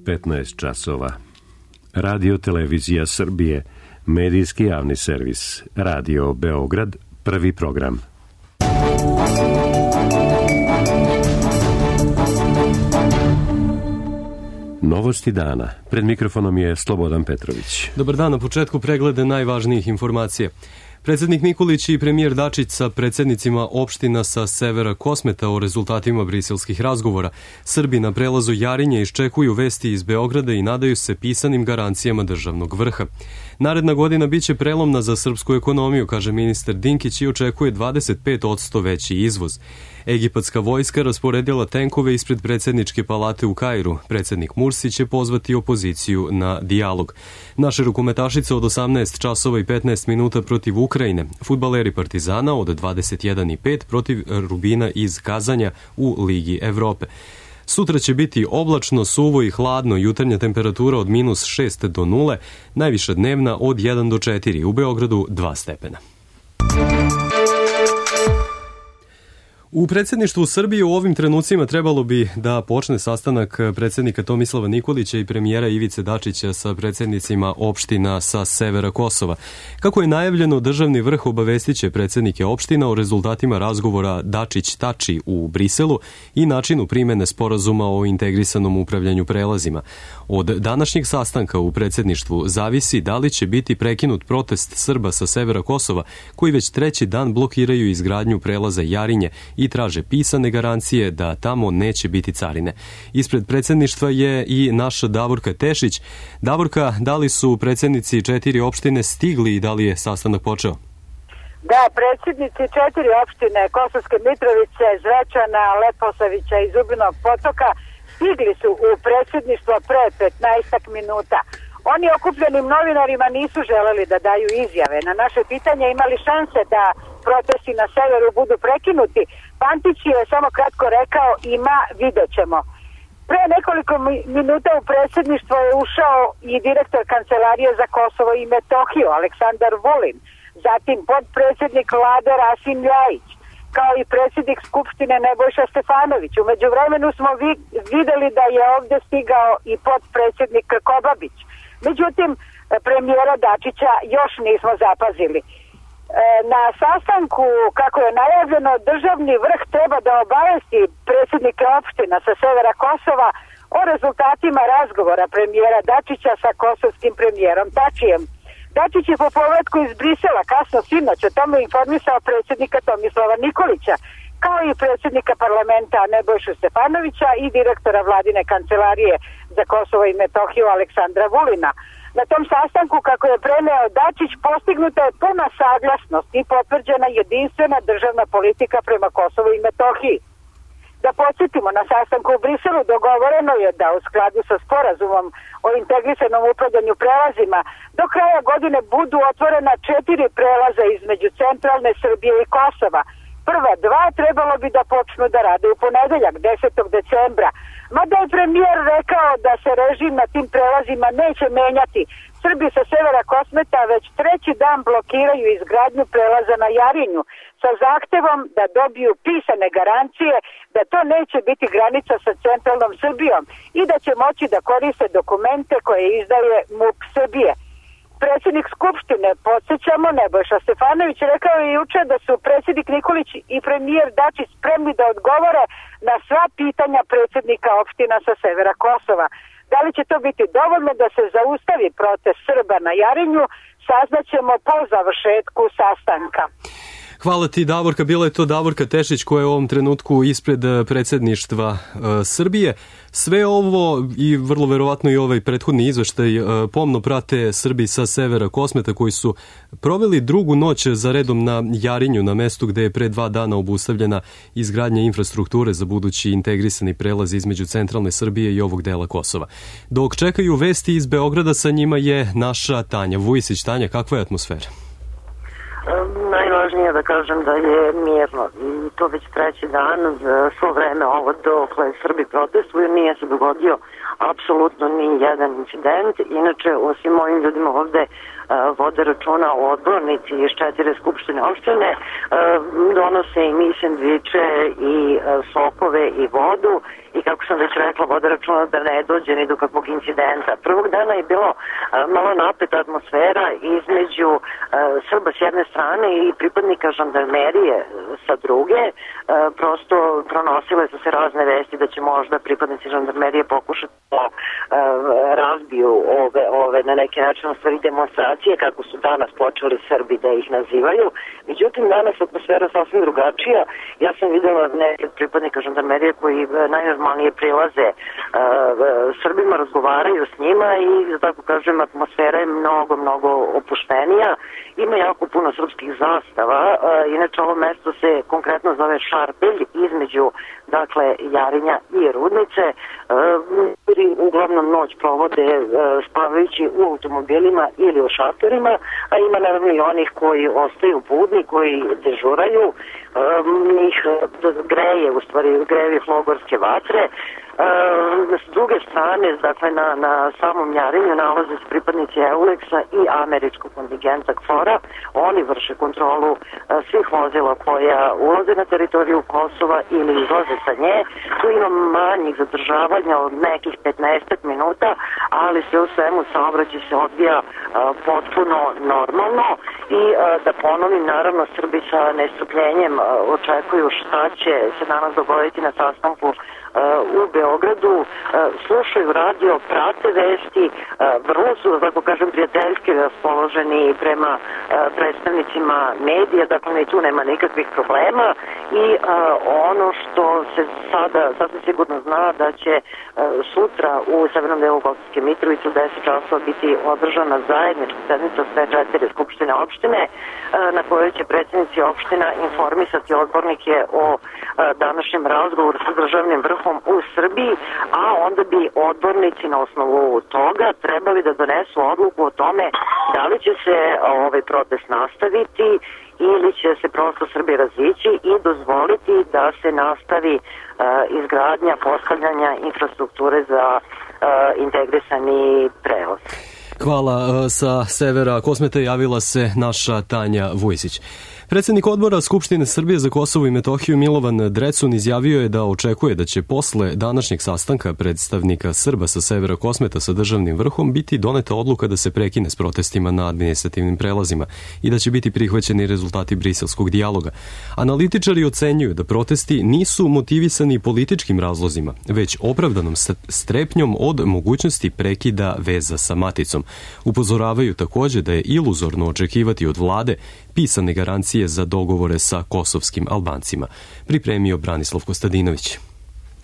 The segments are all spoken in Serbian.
15 časova. Radio Televizija Srbije, medijski javni servis, Radio Beograd, prvi program. Novosti dana. Pred mikrofonom je Slobodan Petrović. Dobar dan, na početku preglede najvažnijih informacija. Predsjednik Nikolić i premijer Dačić sa predsjednicima opština sa severa Kosmeta o rezultatima briselskih razgovora. Srbi na prelazu Jarinje iščekuju vesti iz Beograda i nadaju se pisanim garancijama državnog vrha. Naredna godina biće prelomna za srpsku ekonomiju, kaže ministar Dinkić, i očekuje 25% veći izvoz. Egipatska vojska rasporedila tenkove ispred predsjedničke palate u Kairu. Predsjednik Mursi će pozvati opoziciju na dijalog. Naše rukometašice od 18 časova i 15 minuta protiv Ukrajine. Fudbaleri Partizana od 21:05 protiv Rubina iz Kazanja u Ligi Evrope. Sutra će biti oblačno, suvo i hladno, jutarnja temperatura od -6 do 0, najviša dnevna od 1 do 4, u Beogradu 2 stepena. U predsjedništvu Srbije u ovim trenucima trebalo bi da počne sastanak predsjednika Tomislava Nikolića i premijera Ivice Dačića sa predsjednicima opština sa severa Kosova. Kako je najavljeno, državni vrh obavestiće predsjednike opština o rezultatima razgovora Dačić-Tači u Briselu i načinu primene sporazuma o integrisanom upravljanju prelazima. Od današnjeg sastanka u predsjedništvu zavisi da li će biti prekinut protest Srba sa severa Kosova, koji već treći dan blokiraju izgradnju prelaza Jarinje i traže pisane garancije da tamo neće biti carine. Ispred predsjedništva je i naša Davorka Tešić. Davorka, da li su predsjednici 4 opštine stigli i da li je sastanak počeo? Da, predsjednici 4 opštine Kosovske Mitrovice, Zvečana, Leposavića i Zubinog Potoka stigli su u predsjedništvo pre 15 minuta. Oni okupljenim novinarima nisu želeli da daju izjave. Na naše pitanje imali šanse da protesti na severu budu prekinuti. Pantić je samo kratko rekao: ima, vidjet ćemo. Pre nekoliko minuta u predsjedništvo je ušao i direktor Kancelarije za Kosovo i Metohiju Aleksandar Vulin, zatim podpredsjednik vlade Rasim Ljajić, kao i predsjednik Skupštine Nebojša Stefanović. U međuvremenu smo videli da je ovdje stigao i podpredsjednik Krkobabić. Međutim, premijera Dačića još nismo zapazili. Na sastanku, kako je najavljeno, državni vrh treba da obavesti predsjednike opština sa severa Kosova o rezultatima razgovora premijera Dačića sa kosovskim premijerom Tačijem. Dačić je po povratku iz Brisela kasno sinoć o tome informisao predsjednika Tomislava Nikolića, kao i predsjednika parlamenta Nebojšu Stefanovića i direktora vladine kancelarije za Kosovo i Metohiju Aleksandra Vulina. Na tom sastanku, kako je preneo Dačić, postignuta je puna saglasnost i potvrđena jedinstvena državna politika prema Kosovu i Metohiji. Da podsjetimo, na sastanku u Briselu dogovoreno je da u skladu sa sporazumom o integrisanom upravljanju prelazima do kraja godine budu otvorena 4 prelaza između centralne Srbije i Kosova. Prva 2 trebalo bi da počnu da rade u ponedeljak, 10. decembra. Mada je premijer rekao da se režim na tim prelazima neće menjati. Srbi sa severa Kosmeta već treći dan blokiraju izgradnju prelaza na Jarinju sa zahtevom da dobiju pisane garancije da to neće biti granica sa centralnom Srbijom i da će moći da koriste dokumente koje izdaje MUP Srbije. Predsjednik Skupštine, podsjećamo, Nebojša Stefanović, rekao je juče da su predsjednik Nikolić i premijer Dačić spremni da odgovore na sva pitanja predsjednika opština sa severa Kosova. Da li će to biti dovoljno da se zaustavi protest Srba na Jarinju, saznaćemo po završetku sastanka. Hvala ti, Davorka. Bila je to Davorka Tešić koja je u ovom trenutku ispred predsjedništva Srbije. Sve ovo i vrlo verovatno i ovaj prethodni izveštaj pomno prate Srbi sa severa Kosmeta, koji su proveli drugu noć za redom na Jarinju, na mestu gde je pre 2 dana obustavljena izgradnja infrastrukture za budući integrisani prelaz između centralne Srbije i ovog dela Kosova. Dok čekaju vesti iz Beograda, sa njima je naša Tanja Vujisić. Tanja, kakva je atmosfera? Najvažnije da kažem da je mirno i to već treći dan. Za svo vreme ovo dokle Srbi protestuju nije se dogodio apsolutno ni jedan incident. Inače, osim ovim ljudima ovde vode računa o odbornici iz 4 skupštine opštine, donose i sendviče i sokove i vodu i kako sam već rekla, vode računa da ne dođe ni do kakvog incidenta. Prvog dana je bilo malo napeta atmosfera između Srba s jedne strane i pripadnika žandarmerije sa druge. Prosto pronosile su se razne vesti da će možda pripadnici žandarmerije pokušati da razbiju ove na neki način stvari demonstracije, kako su danas počeli Srbi da ih nazivaju. Međutim, danas atmosfera sasvim drugačija. Ja sam videla neke pripadnika žandarmerije koji najnormalnije prilaze Srbima, razgovaraju s njima i, tako kažem, atmosfera je mnogo opuštenija. Ima jako puno srpskih zastava. Inače, ovo mesto se konkretno zove Šarpelj, između, dakle, Jarinja i Rudnice. Uglavnom noć provode spavajući u automobilima ili u šatorima, a ima naravno i onih koji ostaju budni, koji dežuraju. Njih greje, u stvari greje logorske vatre. S druge strane, dakle, na samom Jarinju nalaze se pripadnici EULEX-a i američkog kontingenta KFOR-a. Oni vrše kontrolu svih vozila koja ulaze na teritoriju Kosova ili izlaze sa nje. Tu ima manjih zadržavanja od nekih 15 minuta, ali sve u svemu saobraćaj se odvija potpuno normalno i da ponovim, naravno, Srbi sa nestrpljenjem očekuju šta će se danas dogoditi na sastanku u Beogradu, slušaju radio, prate vesti, vrlo su, tako kažem, prijateljski raspoloženi prema predstavnicima medija, dakle i tu nema nikakvih problema i ono što se sada sasvim sigurno zna da će sutra u severnom delu Kosovske Mitrovice u 10 časova biti održana zajednička sednica sve 4 skupštine opštine na kojoj će predsjednici opština informisati odbornike o današnjem razgovoru sa državnim vrhom u Srbiji, a onda bi odbornici na osnovu toga trebali da donesu odluku o tome da li će se ovaj protest nastaviti ili će se prosto Srbi razići i dozvoliti da se nastavi izgradnja, postavljanja infrastrukture za integrisani prevoz. Hvala. Sa severa Kosmeta javila se naša Tanja Vujsić. Predsjednik odbora Skupštine Srbije za Kosovo i Metohiju Milovan Drecun izjavio je da očekuje da će posle današnjeg sastanka predstavnika Srba sa severa Kosmeta sa državnim vrhom biti doneta odluka da se prekine s protestima na administrativnim prelazima i da će biti prihvaćeni rezultati briselskog dijaloga. Analitičari ocenjuju da protesti nisu motivisani političkim razlozima, već opravdanom strepnjom od mogućnosti prekida veza sa maticom. Upozoravaju također da je iluzorno očekivati od vlade pisane garancije za dogovore sa kosovskim Albancima. Pripremio Branislav Kostadinović.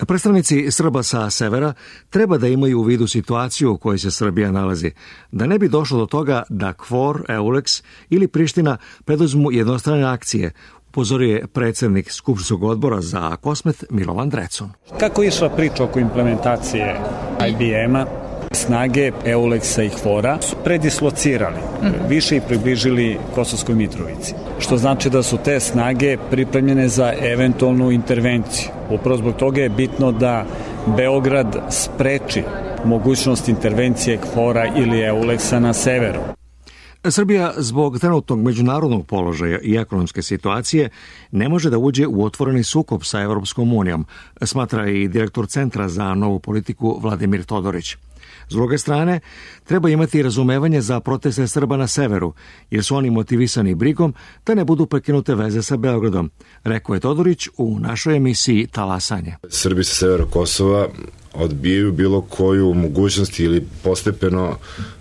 Predstavnici Srba sa severa treba da imaju u vidu situaciju u kojoj se Srbija nalazi, da ne bi došlo do toga da KFOR, EULEX ili Priština preduzmu jednostrane akcije, upozorio je predsjednik Skupštinskog odbora za Kosmet Milovan Drecun. Kako je išla priča oko implementacije IBM-a, snage EULEX-a i KFOR-a su predislocirali, više i približili Kosovskoj Mitrovici, što znači da su te snage pripremljene za eventualnu intervenciju. Upravo zbog toga je bitno da Beograd spreči mogućnost intervencije KFOR-a ili EULEX-a na severu. Srbija zbog trenutnog međunarodnog položaja i ekonomske situacije ne može da uđe u otvoreni sukob sa Evropskom unijom, smatra i direktor Centra za novu politiku Vladimir Todorić. S druge strane, treba imati razumevanje za proteste Srba na severu, jer su oni motivisani brigom da ne budu prekinute veze sa Beogradom, rekao je Todorić u našoj emisiji Talasanje. Srbi sa severa Kosova odbijaju bilo koju mogućnost ili postepeno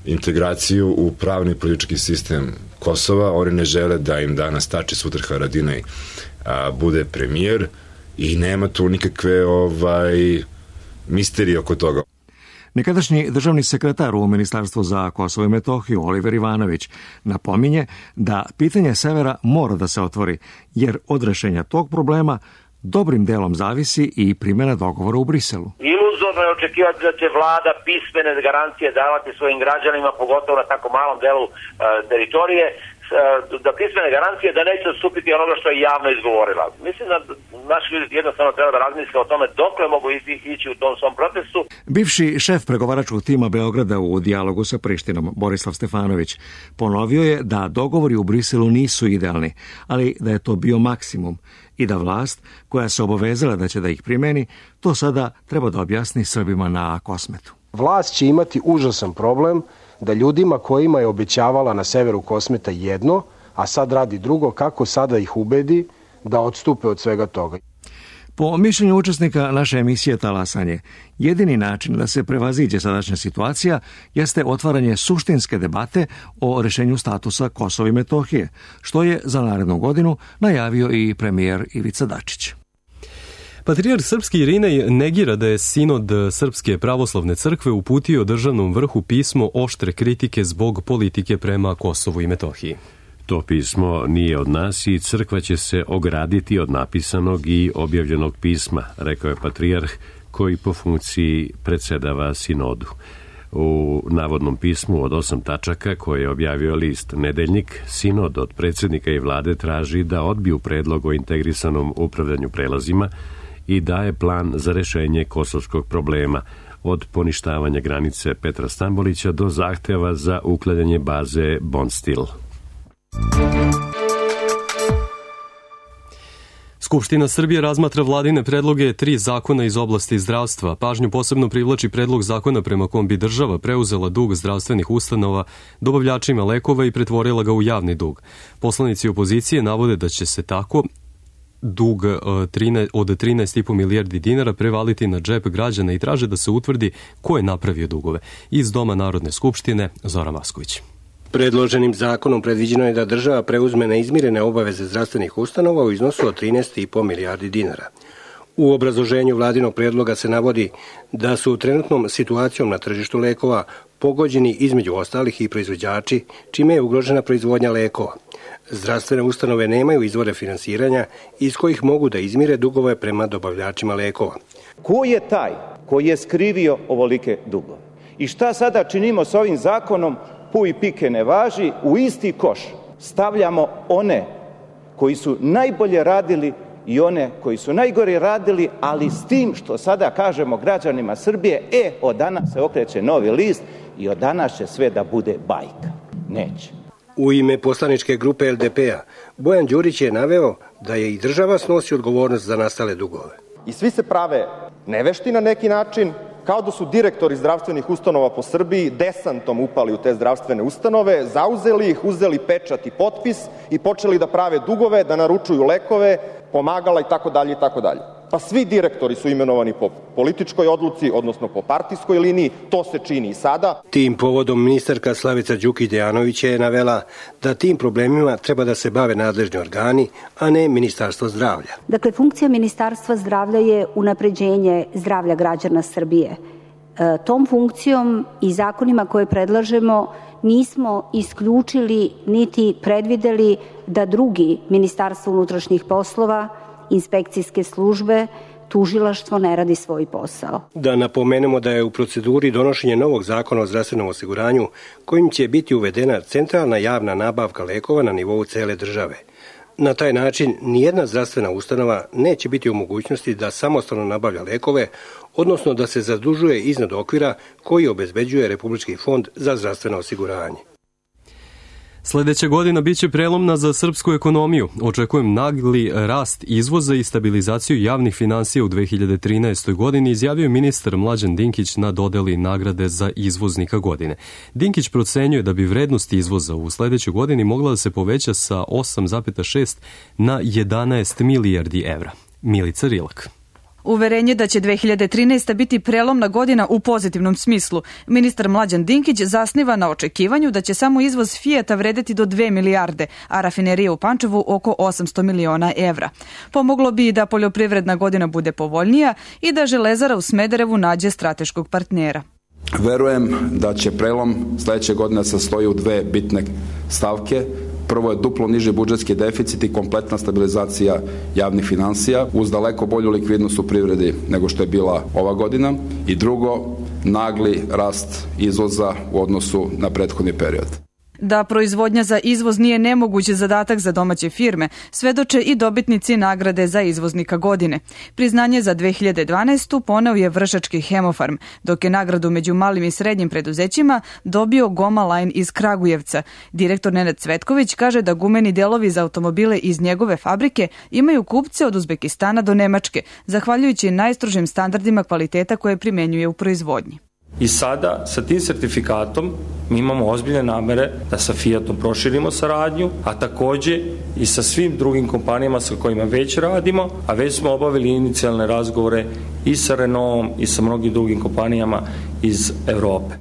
integraciju u pravni i politički sistem Kosova. Oni ne žele da im danas Tači, sutra Haradinaj bude premijer i nema tu nikakve misterije oko toga. Nekadašnji državni sekretar u Ministarstvu za Kosovo i Metohiju Oliver Ivanović napominje da pitanje severa mora da se otvori, jer od rešenja tog problema dobrim delom zavisi i primjena dogovora u Briselu. Iluzorno je očekivati da će vlada pismene garancije davati svojim građanima, pogotovo na tako malom delu teritorije. da pismene garancije da neće odstupiti onoga što je javno izgovorila. Mislim da naši ljudi jednostavno treba da razmisle o tome dokle mogu ići u tom svom protestu. Bivši šef pregovaračkog tima Beograda u dijalogu sa Prištinom, Borislav Stefanović, ponovio je da dogovori u Briselu nisu idealni, ali da je to bio maksimum i da vlast, koja se obavezala da će da ih primeni, to sada treba da objasni Srbima na Kosmetu. Vlast će imati užasan problem da ljudima kojima je obećavala na severu Kosmeta jedno, a sad radi drugo, kako sada ih ubedi da odstupe od svega toga. Po mišljenju učesnika naše emisije Talasanje, jedini način da se prevaziđe sadašnja situacija jeste otvaranje suštinske debate o rešenju statusa Kosova i Metohije, što je za narednu godinu najavio i premijer Ivica Dačić. Patrijarh srpski Irinej negira da je sinod Srpske pravoslavne crkve uputio državnom vrhu pismo oštre kritike zbog politike prema Kosovu i Metohiji. To pismo nije od nas i crkva će se ograditi od napisanog i objavljenog pisma, rekao je patrijarh koji po funkciji predsedava sinodu. U navodnom pismu od 8 tačaka koje je objavio list Nedeljnik, sinod od predsjednika i vlade traži da odbiju predlog o integrisanom upravljanju prelazima i daje plan za rešenje kosovskog problema, od poništavanja granice Petra Stambolića do zahteva za uklanjanje baze Bonstil. Skupština Srbije razmatra vladine predloge 3 zakona iz oblasti zdravstva. Pažnju posebno privlači predlog zakona prema kom bi država preuzela dug zdravstvenih ustanova dobavljačima lekova i pretvorila ga u javni dug. Poslanici opozicije navode da će se tako dug od 13,5 milijardi dinara prevaliti na džep građana i traže da se utvrdi ko je napravio dugove. Iz Doma Narodne skupštine, Zoran Vasković. Predloženim zakonom predviđeno je da država preuzme neizmirene obaveze zdravstvenih ustanova u iznosu od 13,5 milijardi dinara. U obrazloženju vladinog predloga se navodi da su trenutnom situacijom na tržištu lekova pogođeni između ostalih i proizvođači, čime je ugrožena proizvodnja lekova. Zdravstvene ustanove nemaju izvore finansiranja iz kojih mogu da izmire dugove prema dobavljačima lekova. Ko je taj koji je skrivio ovolike dugove? I šta sada činimo s ovim zakonom? Pu i pike ne važi, u isti koš stavljamo one koji su najbolje radili i one koji su najgore radili, ali s tim što sada kažemo građanima Srbije, od danas se okreće novi list i od danas će sve da bude bajka. Neće. U ime poslaničke grupe LDP-a, Bojan Đurić je naveo da je i država snosi odgovornost za nastale dugove. I svi se prave nevešti na neki način, kao da su direktori zdravstvenih ustanova po Srbiji desantom upali u te zdravstvene ustanove, zauzeli ih, uzeli pečat i potpis i počeli da prave dugove, da naručuju lekove, pomagala i tako dalje i tako dalje. Pa svi direktori su imenovani po političkoj odluci, odnosno po partijskoj liniji, to se čini i sada. Tim povodom ministarka Slavica Đukić Dejanović je navela da tim problemima treba da se bave nadležni organi, a ne Ministarstvo zdravlja. Dakle, funkcija Ministarstva zdravlja je unapređenje zdravlja građana Srbije. Tom funkcijom i zakonima koje predlažemo nismo isključili niti predvideli da drugi, Ministarstvo unutrašnjih poslova, inspekcijske službe, tužilaštvo ne radi svoj posao. Da napomenemo da je u proceduri donošenje novog zakona o zdravstvenom osiguranju kojim će biti uvedena centralna javna nabavka lekova na nivou cele države. Na taj način nijedna zdravstvena ustanova neće biti u mogućnosti da samostalno nabavlja lekove, odnosno da se zadužuje iznad okvira koji obezbeđuje Republički fond za zdravstveno osiguranje. Sledeća godina biće prelomna za srpsku ekonomiju. Očekujem nagli rast izvoza i stabilizaciju javnih finansija u 2013. godini, izjavio ministar Mlađan Dinkić na dodeli nagrade za izvoznika godine. Dinkić procenjuje da bi vrednost izvoza u sledećoj godini mogla da se poveća sa 8,6 na 11 milijardi evra. Milica Rilak. Uverenje da će 2013. biti prelomna godina u pozitivnom smislu. Ministar Mlađan Dinkić zasniva na očekivanju da će samo izvoz Fijata vredeti do 2 milijarde, a rafinerija u Pančevu oko 800 miliona evra. Pomoglo bi i da poljoprivredna godina bude povoljnija i da Železara u Smederevu nađe strateškog partnera. Verujem da će prelom sledeće godine sastoji u 2 bitne stavke. Prvo je duplo niži budžetski deficit i kompletna stabilizacija javnih finansija uz daleko bolju likvidnost u privredi nego što je bila ova godina. I drugo, nagli rast izvoza u odnosu na prethodni period. Da proizvodnja za izvoz nije nemoguć zadatak za domaće firme, svedoče i dobitnici nagrade za izvoznika godine. Priznanje za 2012. poneo je Vršački Hemofarm, dok je nagradu među malim i srednjim preduzećima dobio Goma Line iz Kragujevca. Direktor Nenad Cvetković kaže da gumeni delovi za automobile iz njegove fabrike imaju kupce od Uzbekistana do Nemačke, zahvaljujući najstrožim standardima kvaliteta koje primenjuje u proizvodnji. I sada sa tim sertifikatom mi imamo ozbiljne namere da sa Fiatom proširimo saradnju, a takođe i sa svim drugim kompanijama sa kojima već radimo, a već smo obavili inicijalne razgovore i sa Renaultom i sa mnogim drugim kompanijama iz Evrope.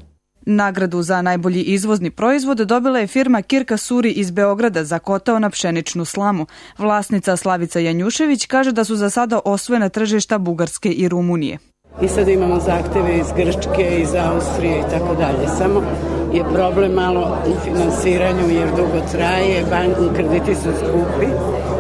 Nagradu za najbolji izvozni proizvod dobila je firma Kirka Suri iz Beograda za kotao na pšeničnu slamu. Vlasnica Slavica Janjušević kaže da su za sada osvojena tržišta Bugarske i Rumunije. I sad imamo zahteve iz Grčke, iz Austrije i tako dalje. Samo je problem malo u finansiranju jer dugo traje, krediti su skupi,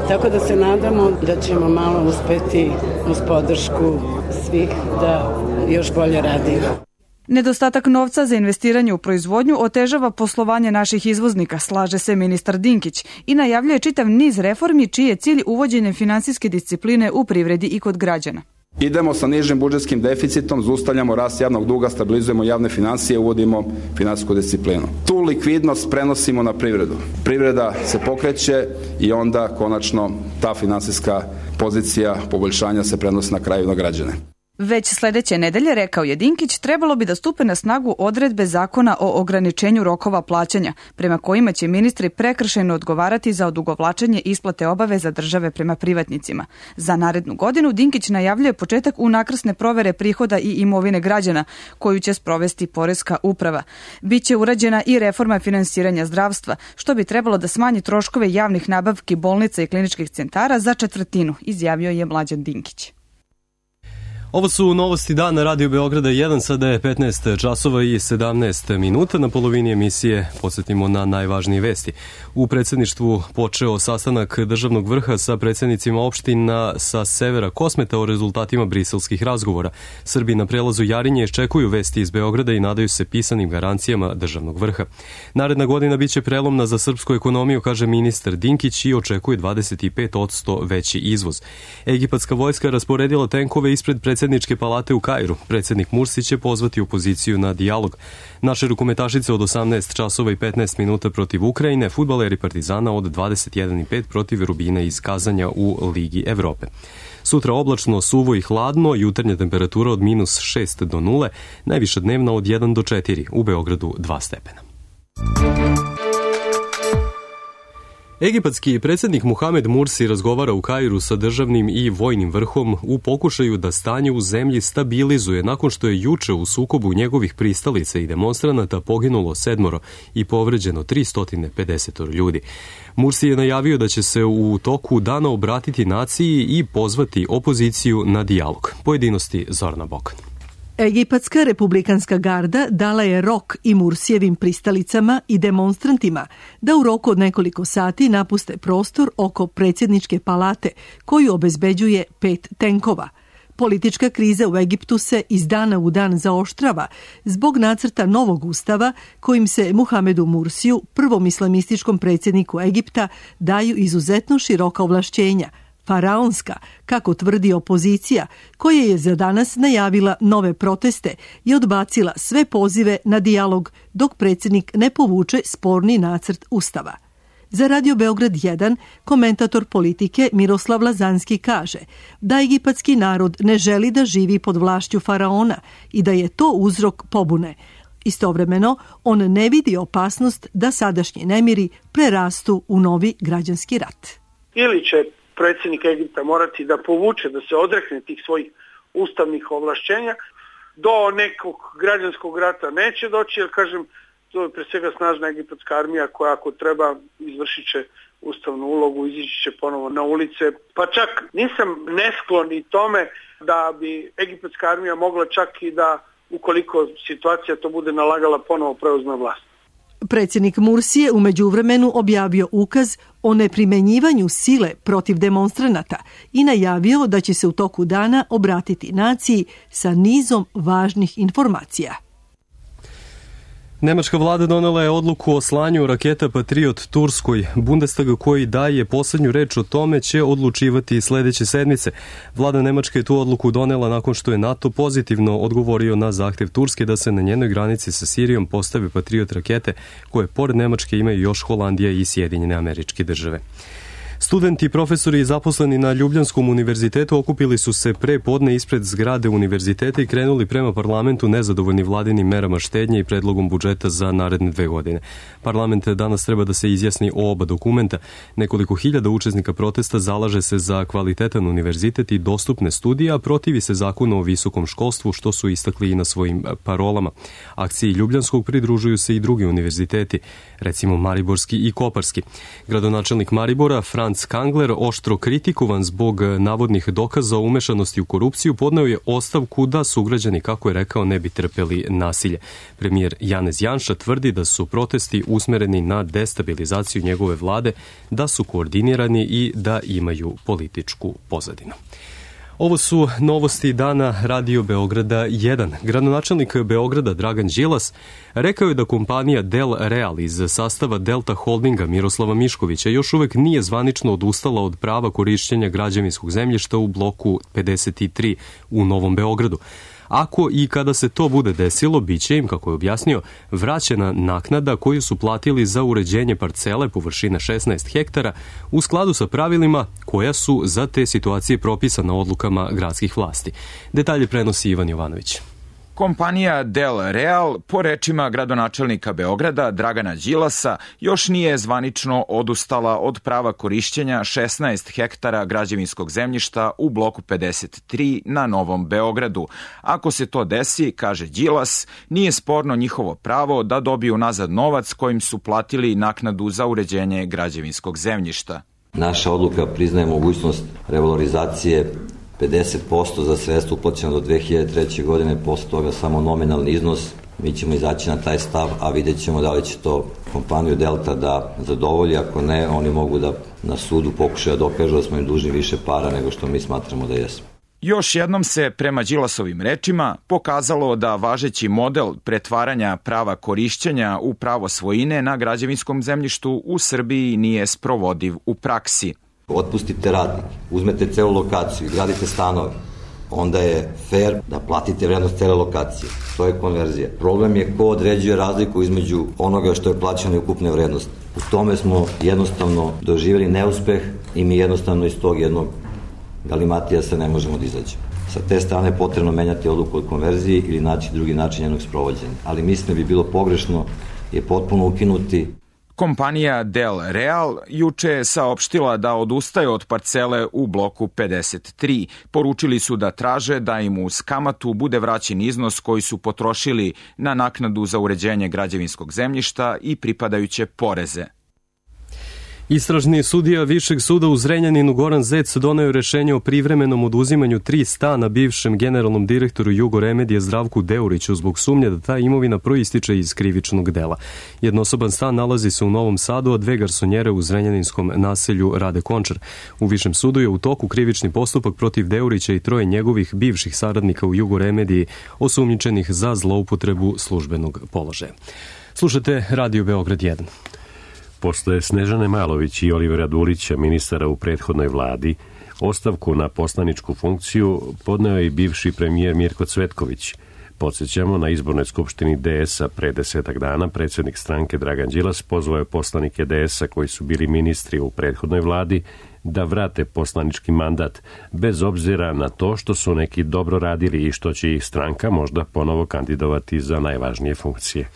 tako da se nadamo da ćemo malo uspeti uz podršku svih da još bolje radimo. Nedostatak novca za investiranje u proizvodnju otežava poslovanje naših izvoznika, slaže se ministar Dinkić i najavljuje čitav niz reformi čiji je cilj uvođenje finansijske discipline u privredi i kod građana. Idemo sa nižim budžetskim deficitom, zaustavljamo rast javnog duga, stabilizujemo javne finansije, uvodimo finansijsku disciplinu. Tu likvidnost prenosimo na privredu. Privreda se pokreće i onda konačno ta finansijska pozicija poboljšanja se prenosi na kraju na građane. Već sledeće nedelje, rekao je Dinkić, trebalo bi da stupe na snagu odredbe zakona o ograničenju rokova plaćanja, prema kojima će ministri prekršajno odgovarati za odugovlačenje isplate obaveza države prema privatnicima. Za narednu godinu Dinkić najavljuje početak unakrsne provere prihoda i imovine građana, koju će sprovesti Poreska uprava. Biće urađena i reforma finansiranja zdravstva, što bi trebalo da smanji troškove javnih nabavki bolnica i kliničkih centara za 1/4, izjavio je Mlađan Dinkić. Ovo su novosti dana Radio Beograda 1, sada je 15 časova i 17 minuta. Na polovini emisije podsjetimo na najvažnije vesti. U predsjedništvu počeo sastanak državnog vrha sa predsjednicima opština sa severa Kosmeta o rezultatima briselskih razgovora. Srbi na prelazu Jarinje iščekuju vesti iz Beograda i nadaju se pisanim garancijama državnog vrha. Naredna godina biće prelomna za srpsku ekonomiju, kaže ministar Dinkić, i očekuje 25% veći izvoz. Egipatska vojska rasporedila tenkove ispred predsjedničke palate u Kairu. Predsjednik Mursi će pozvati opoziciju na dijalog. Naše rukometašice od 18 časova i 15 minuta protiv Ukrajine, fudbaleri Partizana od 21:05 protiv Rubina iz Kazanja u Ligi Evrope. Sutra oblačno, suvo i hladno, jutarnja temperatura od -6 do 0, najviša dnevna od 1 do 4, u Beogradu 2 stepena. Egipatski predsjednik Muhamed Mursi razgovara u Kairu sa državnim i vojnim vrhom u pokušaju da stanje u zemlji stabilizuje nakon što je juče u sukobu njegovih pristalica i demonstranata poginulo 7 i povređeno 350 ljudi. Mursi je najavio da će se u toku dana obratiti naciji i pozvati opoziciju na dijalog. Pojedinosti Zorana Bokan. Egipatska republikanska garda dala je rok i Mursijevim pristalicama i demonstrantima da u roku od nekoliko sati napuste prostor oko predsjedničke palate koju obezbeđuje 5 tenkova. Politička kriza u Egiptu se iz dana u dan zaoštrava zbog nacrta novog ustava kojim se Muhamedu Mursiju, prvom islamističkom predsjedniku Egipta, daju izuzetno široka ovlašćenja, faraonska, kako tvrdi opozicija, koja je za danas najavila nove proteste i odbacila sve pozive na dijalog dok predsjednik ne povuče sporni nacrt ustava. Za Radio Beograd 1 komentator politike Miroslav Lazanski kaže da egipatski narod ne želi da živi pod vlašću faraona i da je to uzrok pobune. Istovremeno, on ne vidi opasnost da sadašnji nemiri prerastu u novi građanski rat. Ili će predsjednik Egipta morati da povuče, da se odrekne tih svojih ustavnih ovlašćenja, do nekog građanskog rata neće doći, jer kažem, to je pre svega snažna egipatska armija koja ako treba izvršit će ustavnu ulogu, izići će ponovo na ulice. Pa čak nisam nesklon i tome da bi egipatska armija mogla čak i da, ukoliko situacija to bude nalagala, ponovo preuzme vlast. Predsjednik Mursi je u međuvremenu objavio ukaz o neprimenjivanju sile protiv demonstranata i najavio da će se u toku dana obratiti naciji sa nizom važnih informacija. Nemačka vlada donela je odluku o slanju raketa Patriot Turskoj. Bundestag koji daje poslednju reč o tome će odlučivati sledeće sedmice. Vlada Nemačke je tu odluku donela nakon što je NATO pozitivno odgovorio na zahtev Turske da se na njenoj granici sa Sirijom postave Patriot rakete koje pored Nemačke imaju još Holandija i Sjedinjene Američke Države. Studenti, profesori i zaposleni na Ljubljanskom univerzitetu okupili su se pre podne ispred zgrade univerziteta i krenuli prema parlamentu nezadovoljni vladinim merama štednje i predlogom budžeta za naredne 2 godine. Parlament danas treba da se izjasni o oba dokumenta. Nekoliko hiljada učesnika protesta zalaže se za kvalitetan univerzitet i dostupne studije, a protivi se zakonu o visokom školstvu, što su istakli i na svojim parolama. Akciji Ljubljanskog pridružuju se i drugi univerziteti, recimo Mariborski i Koparski. Gradonačelnik Maribora, Franz Kangler, oštro kritikovan zbog navodnih dokaza o umešanosti u korupciju, podneo je ostavku da sugrađani, kako je rekao, ne bi trpeli nasilje. Premijer Janez Janša tvrdi da su protesti usmereni na destabilizaciju njegove vlade, da su koordinirani i da imaju političku pozadinu. Ovo su novosti dana Radio Beograda 1. Gradonačelnik Beograda Dragan Đilas rekao je da kompanija Del Real iz sastava Delta Holdinga Miroslava Miškovića još uvek nije zvanično odustala od prava korišćenja građevinskog zemljišta u bloku 53 u Novom Beogradu. Ako i kada se to bude desilo, biće im, kako je objasnio, vraćena naknada koju su platili za uređenje parcele površine 16 hektara u skladu sa pravilima koja su za te situacije propisana odlukama gradskih vlasti. Detalje prenosi Ivan Jovanović. Kompanija Del Real, po rečima gradonačelnika Beograda Dragana Đilasa, još nije zvanično odustala od prava korišćenja 16 hektara građevinskog zemljišta u bloku 53 na Novom Beogradu. Ako se to desi, kaže Đilas, nije sporno njihovo pravo da dobiju nazad novac kojim su platili naknadu za uređenje građevinskog zemljišta. Naša odluka priznaje mogućnost revalorizacije 50% za sredstva uplaćena do 2003. godine, posle toga samo nominalni iznos. Mi ćemo izaći na taj stav, a vidjet ćemo da li će to kompaniju Delta da zadovolji. Ako ne, oni mogu da na sudu pokušaju da dokažu da smo im dužni više para nego što mi smatramo da jesmo. Još jednom se, prema Đilasovim rečima, pokazalo da važeći model pretvaranja prava korišćenja u pravo svojine na građevinskom zemljištu u Srbiji nije sprovodiv u praksi. Otpustite radnike, uzmete celu lokaciju i gradite stanove, onda je fair da platite vrednost cele lokacije. To je konverzija. Problem je ko određuje razliku između onoga što je plaćeno i ukupne vrednosti. U tome smo jednostavno doživjeli neuspeh i mi jednostavno iz tog jednog galimatija se ne možemo da izađemo. Sa te strane je potrebno menjati odluku o konverziji ili naći drugi način jednog sprovođenja. Ali mislim da bi bilo pogrešno je potpuno ukinuti. Kompanija Del Real juče je saopštila da odustaje od parcele u bloku 53. Poručili su da traže da im uz kamatu bude vraćen iznos koji su potrošili na naknadu za uređenje građevinskog zemljišta i pripadajuće poreze. Istražni sudija Višeg suda u Zrenjaninu Goran Zec doneo rešenje o privremenom oduzimanju 3 stana bivšem generalnom direktoru Jugoremedije Zdravku Deuriću zbog sumnje da ta imovina proističe iz krivičnog dela. Jednosoban stan nalazi se u Novom Sadu, a 2 garsonjere u zrenjaninskom naselju Rade Končar. U Višem sudu je u toku krivični postupak protiv Deurića i 3 njegovih bivših saradnika u Jugoremediji osumnjičenih za zloupotrebu službenog položaja. Slušate Radio Beograd 1. Posle Snežane Malović i Olivera Dulića, ministara u prethodnoj vladi, ostavku na poslaničku funkciju podneo je i bivši premijer Mirko Cvetković. Podsjećamo, na izbornoj skupštini DS-a pre 10 dana predsjednik stranke Dragan Đilas pozvao je poslanike DS-a koji su bili ministri u prethodnoj vladi da vrate poslanički mandat, bez obzira na to što su neki dobro radili i što će ih stranka možda ponovo kandidovati za najvažnije funkcije.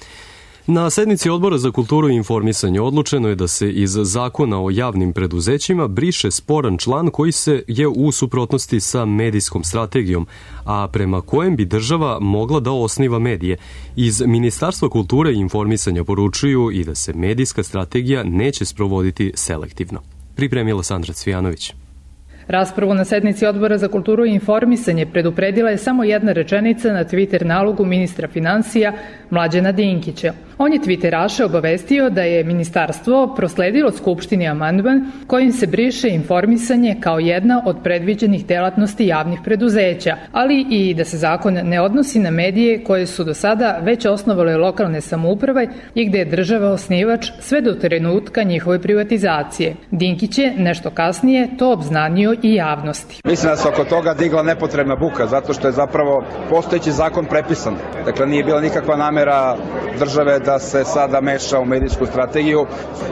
Na sednici Odbora za kulturu i informisanje odlučeno je da se iz Zakona o javnim preduzećima briše sporan član koji se je u suprotnosti sa medijskom strategijom, a prema kojem bi država mogla da osniva medije. Iz Ministarstva kulture i informisanja poručuju i da se medijska strategija neće sprovoditi selektivno. Pripremila Sandra Cvijanović. Raspravu na sednici Odbora za kulturu i informisanje predupredila je samo jedna rečenica na Twitter nalogu ministra finansija Mlađana Dinkića. On je Twitteraše obavestio da je ministarstvo prosledilo Skupštini amandman kojim se briše informisanje kao jedna od predviđenih delatnosti javnih preduzeća, ali i da se zakon ne odnosi na medije koje su do sada već osnovale lokalne samouprave i gde je država osnivač sve do trenutka njihove privatizacije. Dinkić je nešto kasnije to obznanio i javnosti. Mislim da se oko toga digla nepotrebna buka, zato što je zapravo postojeći zakon prepisan. Dakle, nije bila nikakva namera države da se sada meša u medijsku strategiju.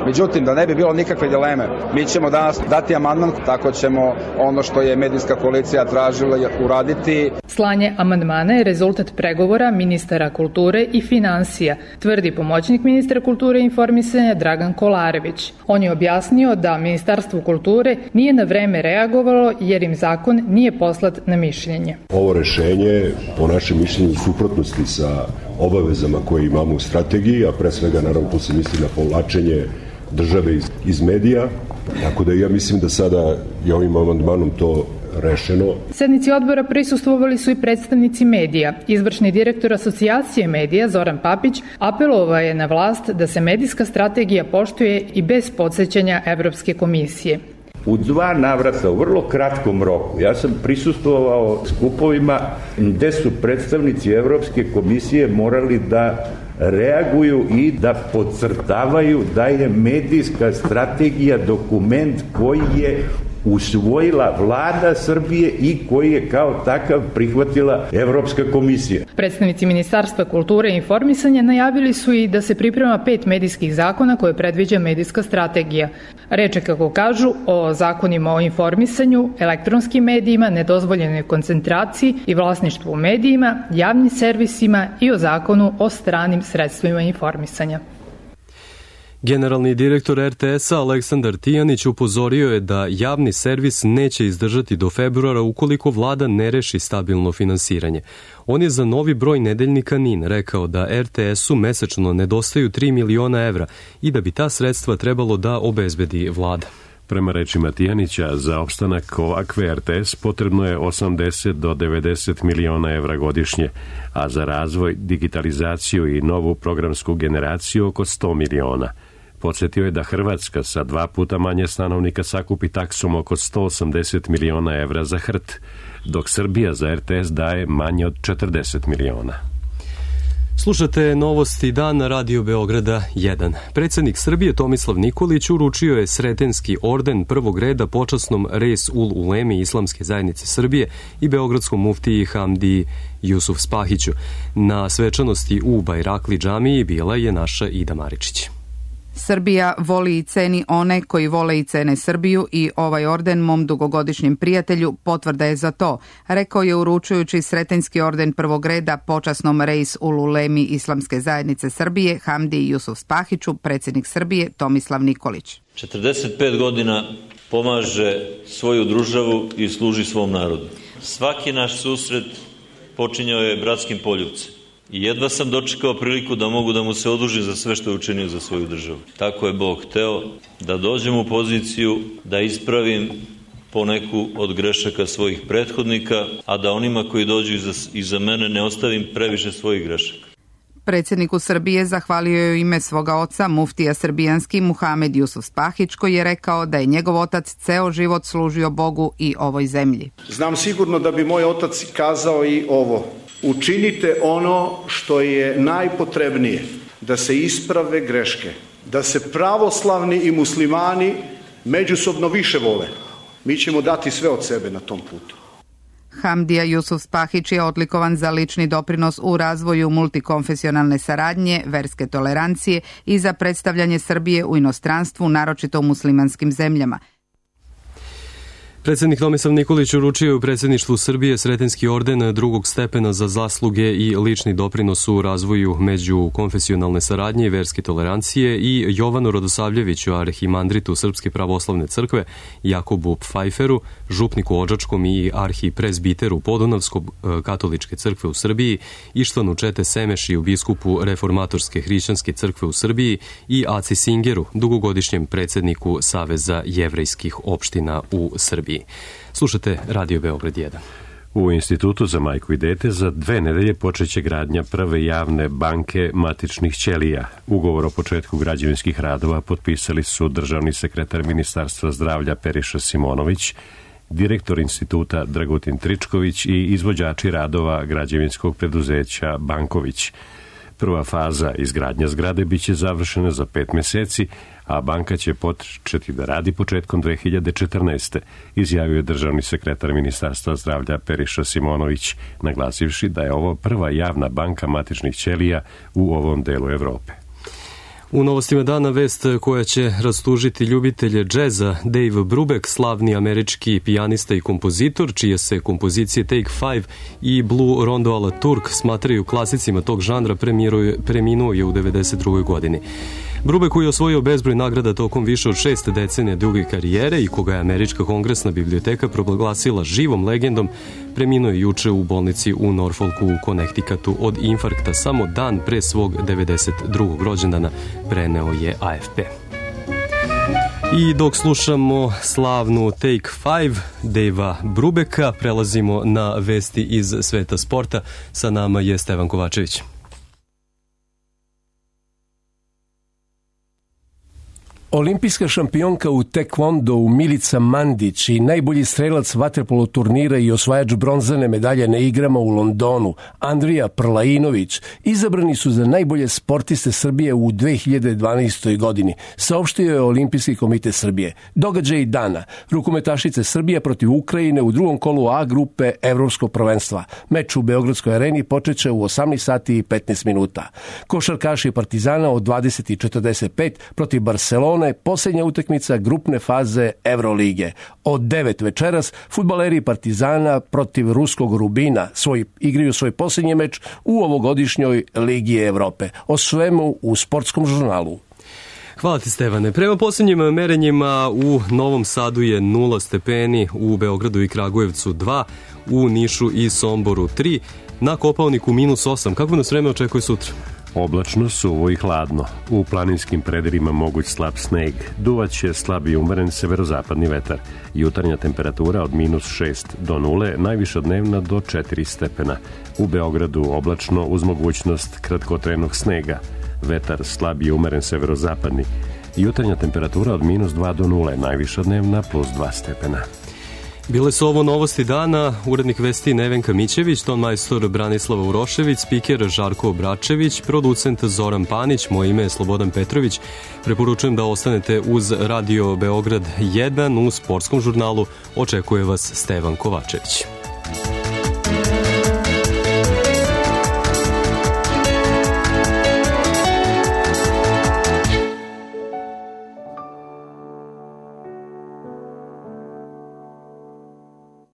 Međutim, da ne bi bilo nikakve dileme, mi ćemo danas dati amandman, tako ćemo ono što je medijska koalicija tražila uraditi. Slanje amandmana je rezultat pregovora ministara kulture i finansija, tvrdi pomoćnik ministra kulture i informisanja Dragan Kolarević. On je objasnio da Ministarstvo kulture nije na vreme reagovalo jer im zakon nije poslat na mišljenje. Ovo rešenje po našem mišljenju u suprotnosti sa obavezama koje imamo u strategiji, a pre svega naravno tu se misli na povlačenje države iz medija, tako da ja mislim da sada je ovim amandmanom to rešeno. Sednici odbora prisustvovali su i predstavnici medija. Izvršni direktor Asocijacije medija Zoran Papić apelovao je na vlast da se medijska strategija poštuje i bez podsećanja Evropske komisije. U 2 navrata, u vrlo kratkom roku, ja sam prisustvovao skupovima gde su predstavnici Evropske komisije morali da reaguju i da podcrtavaju da je medijska strategija dokument koji je usvojila vlada Srbije i koji je kao takav prihvatila Evropska komisija. Predstavnici Ministarstva kulture i informisanja najavili su i da se priprema 5 medijskih zakona koje predviđa medijska strategija. Reč je, kako kažu, o zakonima o informisanju, elektronskim medijima, nedozvoljenoj koncentraciji i vlasništvu u medijima, javnim servisima i o zakonu o stranim sredstvima informisanja. Generalni direktor RTS-a Aleksandar Tijanić upozorio je da javni servis neće izdržati do februara ukoliko vlada ne reši stabilno finansiranje. On je za novi broj nedeljnika NIN rekao da RTS-u mesečno nedostaju 3 miliona evra i da bi ta sredstva trebalo da obezbedi vlada. Prema rečima Tijanića, za opstanak ovakve RTS potrebno je 80 do 90 miliona evra godišnje, a za razvoj, digitalizaciju i novu programsku generaciju oko 100 miliona. Podsjetio je da Hrvatska sa 2 puta manje stanovnika sakupi taksom oko 180 miliona evra za HRT, dok Srbija za RTS daje manje od 40 miliona. Slušate Novosti dan na Radio Beograda 1. Predsjednik Srbije Tomislav Nikolić uručio je Sretenski orden prvog reda počasnom Reis ul Ulemi Islamske zajednice Srbije i beogradskom muftiji Hamdi Jusuf Spahiću. Na svečanosti u Bajrakli džamiji bila je naša Ida Maričić. Srbija voli i ceni one koji vole i cene Srbiju i ovaj orden mom dugogodišnjem prijatelju potvrda je za to, rekao je uručujući Sretenski orden prvog reda počasnom Reis ul Ulemi Islamske zajednice Srbije Hamdi Jusuf Spahiću predsjednik Srbije Tomislav Nikolić. 45 godina pomaže svoju državu i služi svom narodu. Svaki naš susret počinjao je bratskim poljubcem. I jedva sam dočekao priliku da mogu da mu se odužim za sve što je učinio za svoju državu. Tako je Bog hteo da dođem u poziciju da ispravim poneku od grešaka svojih prethodnika, a da onima koji dođu iza mene ne ostavim previše svojih grešaka. Predsjedniku Srbije zahvalio je u ime svoga oca, muftija srbijanski Muhamed Jusuf Spahić, koji je rekao da je njegov otac ceo život služio Bogu i ovoj zemlji. Znam sigurno da bi moj otac kazao i ovo. Učinite ono što je najpotrebnije, da se isprave greške, da se pravoslavni i muslimani međusobno više vole. Mi ćemo dati sve od sebe na tom putu. Hamdija Jusuf Spahić je odlikovan za lični doprinos u razvoju multikonfesionalne saradnje, verske tolerancije i za predstavljanje Srbije u inostranstvu, naročito u muslimanskim zemljama. Predsjednik Tomislav Nikolić uručio je u predsjedništvu Srbije Sretenski orden drugog stepena za zasluge i lični doprinos u razvoju međukonfesionalne saradnje i verske tolerancije i Jovanu Radosavljeviću, arhimandritu Srpske pravoslavne crkve, Jakobu Pfajferu, župniku Odžačkom i arhipresbiteru Podunavskog katoličke crkve u Srbiji, Ištvanu Čete Semešiju, biskupu Reformatorske hrišćanske crkve u Srbiji i Aci Singeru, dugogodišnjem predsjedniku Saveza jevrejskih opština u Srbiji. regiji. Slušate Radio Beograd 1. U Institutu za majku i dete za 2 nedelje počeće gradnja prve javne banke matičnih ćelija. Ugovor o početku građevinskih radova potpisali su državni sekretar Ministarstva zdravlja Periša Simonović, direktor instituta Dragutin Tričković i izvođači radova građevinskog preduzeća Banković. Prva faza izgradnja zgrade biće završena za 5 meseci, a banka će početi da radi početkom 2014. izjavio je državni sekretar Ministarstva zdravlja Periša Simonović, naglasivši da je ovo prva javna banka matičnih ćelija u ovom delu Evrope. U novostima dana vest koja će rastužiti ljubitelje džeza. Dave Brubeck, slavni američki pijanista i kompozitor, čije se kompozicije Take 5 i Blue Rondo a la Turk smatraju klasicima tog žanra, preminuo je u 92. godini. Brubeck, koji je osvojio bezbroj nagrada tokom više od 6 decenija duge karijere i koga je Američka kongresna biblioteka proglasila živom legendom, preminuo je juče u bolnici u Norfolku u Connecticutu od infarkta samo dan pre svog 92. rođendana, preneo je AFP. I dok slušamo slavnu Take 5 Davea Brubecka, prelazimo na vesti iz sveta sporta. Sa nama je Stevan Kovačević. Olimpijska šampionka u tekvondou Milica Mandić i najbolji strelac vaterpolo turnira i osvajač bronzane medalje na igrama u Londonu, Andrija Prlainović, izabrani su za najbolje sportiste Srbije u 2012. godini, saopštio je Olimpijski komitet Srbije. Događaj dana, rukometašice Srbije protiv Ukrajine u drugom kolu A grupe Evropskog prvenstva. Meč u Beogradskoj areni počeće u 18 sati i 15 minuta. Košarkaši Partizana od 20:45 protiv Barcelone, posljednja utakmica grupne faze Evrolige. Od 9 večeras fudbaleri Partizana protiv ruskog Rubina igraju svoj posljednji meč u ovogodišnjoj Ligi Evrope. O svemu u Sportskom žurnalu. Hvala ti, Stevane. Prema posljednjim merenjima u Novom Sadu je 0 stepeni, u Beogradu i Kragujevcu 2, u Nišu i Somboru 3, na Kopaoniku -8. Kako nas vreme očekuje sutra? Oblačno, suvo i hladno. U planinskim predelima moguć slab sneg. Duvaće slab i umeren severozapadni vetar. Jutarnja temperatura od -6 do 0, najviša dnevna do 4 stepena. U Beogradu oblačno uz mogućnost kratkotrenog snega. Vetar slab i umeren severozapadni. Jutarnja temperatura od -2 do 0, najviša dnevna +2 stepena. Bile su ovo novosti dana, urednik vesti Nevenka Mićević, tonmajstor Branislava Urošević, spiker Žarko Obračević, producent Zoran Panić, moje ime je Slobodan Petrović. Preporučujem da ostanete uz Radio Beograd 1 u Sportskom žurnalu. Očekuje vas Stevan Kovačević.